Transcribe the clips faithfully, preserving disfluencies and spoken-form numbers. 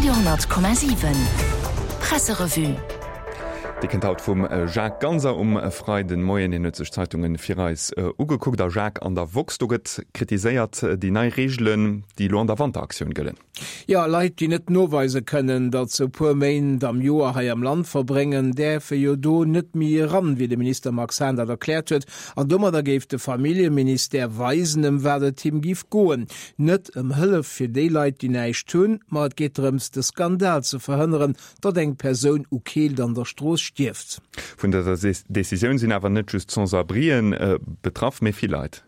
Radio honnert Komma siwen Presserevue. Déi kënnt haut vum Jacques Ganser um Freiden Moien. Hien huet sech d'Zeitunge fir eis ugekuckt. A Jacques, an der woxx, do gëtt kritiséiert déi nei Reegelen, déi elo an der Wanteraktioun gëllen. Jo, Leit, déi net noweise kënnen, datt se e puer Méint am Joer hei am Land verbréngen, däerfe jo do net méi eran, wéi de Minister Max Hahn dat erkläert huet. An domadder géif de Familljeministère weisen, ëm wat et him giff goen. Net ëm Hëllef fir déi Leit, déi näischt hunn, ma et geet drëms, de Skandal ze verhënneren, datt eng Persoun u Keelt an der Strooss stierft. Vun dëser Decisioun sinn awer net just d'Sans-abrien betraff, mee vill Leit.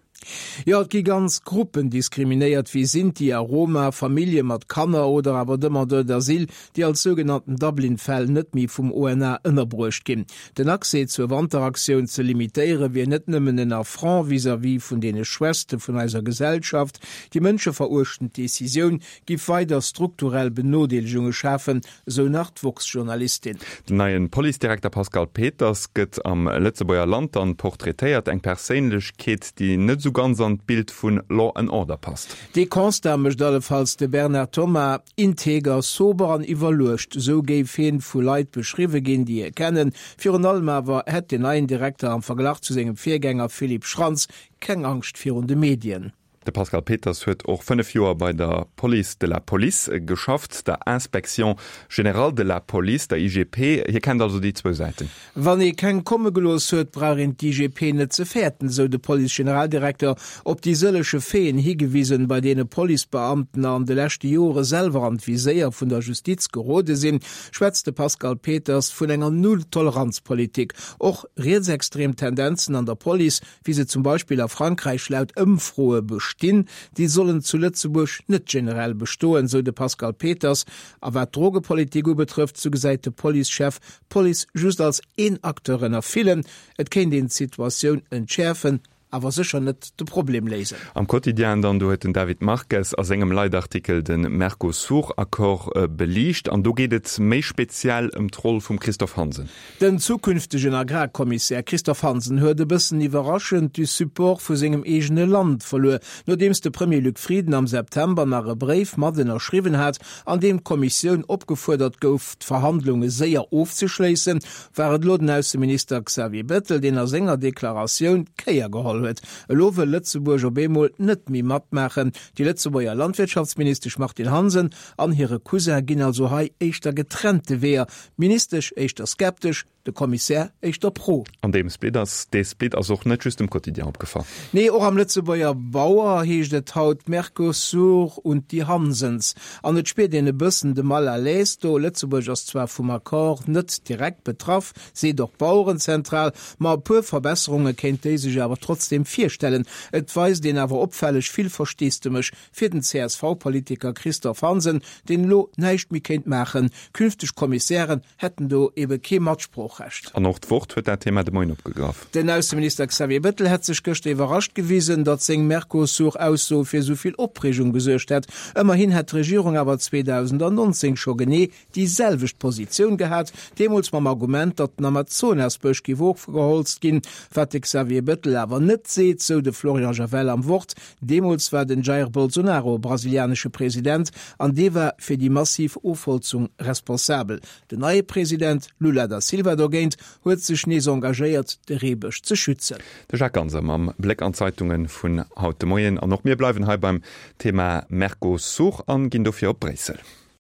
Jo, et gi ganz Gruppen diskriminéiert, wéi Sinti a Roma, Famillje mat Kanner oder awer Demandeurs d'asile, déi als sougenannten Dublin-Fäll net méi vum O N A ënnerbruecht ginn. Den Accès zur Wanteraktioun ze limitéiere wier net nëmmen en Affront vis-à-vis vun deene Schwächste vun eiser Gesellschaft. Déi mënscheveruechtend Decisioun giff weider strukturell Benodeelegunge schafen, esou nach d'woxx-Journalistin. Den neien Policedirekter Pascal Peters gëtt am Lëtzebuerger Land dann portraitéiert, eng Perséinlechkeet, déi net esou ganz an d'Bild vun Law and Order passt. Dee Constat mécht allefalls de Bernard Thomas, integer, sober an iwwerluecht, esou géif hien vu Leit beschriwwe ginn, déi hie kennen. Virun allem awer hätt den neien Direkter am Verglach zu sengem Virgänger Philippe Schrantz keng Angscht virun de Medien. De Pascal Peters huet och fënnef Joer bei der Police de la Police geschafft, der Inspection générale de la Police, der I G P. Hie kennt also déi zwou Säiten. Wann ee keng komme gelooss huet, brauch een d'I G P net ze fäerten, esou de Police-Generaldirekter, op déi sëllege Faiten higewisen, bei deene Policebeamten an de leschte Jore selwer an d'Viséier vun der Justiz gerode sinn, schwätzt de Pascal Peters vun enger Null-Toleranz-Politik. Och rietsextrem Tendenzen an der Police, wéi se zum Beispill a Frankräich laut Ëmfroe bestinn, déi sollen zu Lëtzebuerg net generell bestoen, sou de Pascal Peters. A wat d'Drogepolitik ubetrëfft, sou gesäit de Policechef d'Police just als een Acteur ënner villen. Et kéint een d'Situatioun entschäerfen, awer sécher net de Problem léisen. Am Quotidien dann, do huet den David Marques a sengem Leitartikel de Mercosur-Accord beliicht an do geet et méi speziell ëm d'Roll vum Christophe Hansen. Den zukünftegen Agrarkommissär Christophe Hansen huet e bëssen iwwerraschend de Support vu sengem eegene Land verluer, nodeems de Premier Luc Frieden am September nach e Bréif mat ënnerschriwwen hat, an deem d'Kommissioun opgefuerdert gouf, d'Verhandlunge séier ofzeschléissen, war et elo den Ausseminister Xavier Bettel, deen a senger Deklaratioun d'Kéier geholl huet. Elo wëll Lëtzebuerg op eemol net méi matmaachen. Déi Lëtzebuerger Landwirtschaftsministesch Martine Hansen an hire Cousin ginn also hei éischter getrennte Weeër. D'Ministesch éischter skeptesch, de Kommissär éischter pro. An deem Split ass, dee Split ass och net just dem Quotidien opgefall. Nee, och am Lëtzebuerger Bauer heescht et haut Mercosur und die Hansens. An et spiert een e bëssen de Mal à l'aise do. Lëtzebuerg ass zwar vum Accord net direkt betraff, seet och d'Bauerenzentral, ma e puer Verbesserunge kéint déi sech awer trotzdem virstellen. Et weist een awer opfälleg vill Versteesdemech fir den C S V-Politiker Christophe Hansen, deen elo näischt méi kéint maachen. Künfteg Kommissären hätten do ebe kee Matsproochrecht. An och d'Wort huet dat Thema de Moien opgegraff. Den Ausseminister Xavier Bettel hätt sech gëschter iwwerrascht gewisen, datt seng Mercosur-Ausso fir esou vill Opreegung gesuergt hätt. Ëmmerhin hätt d'Regierung awer zweedausendnonzéng scho genee déi selwecht Positioun gehat, deemools mam Argument, datt den Amazonasbësch géif ofgeholzt ginn, wat de Xavier Bettel awer net seet, sou de Florian Javel am Wort. Deemools war den Jair Bolsonaro brasilianesche President an dee war fir déi massiv Ofholzung responsabel. Den neie President Lula da Silva dogéint huet sech nees engagéiert, de Reebësch ze schützen. De Jacques Ganser mam Bléck an d'Zeitunge vun haut de Moien. An och mir bleiwen hei beim Thema Mercosur an ginn dofir op Bréissel.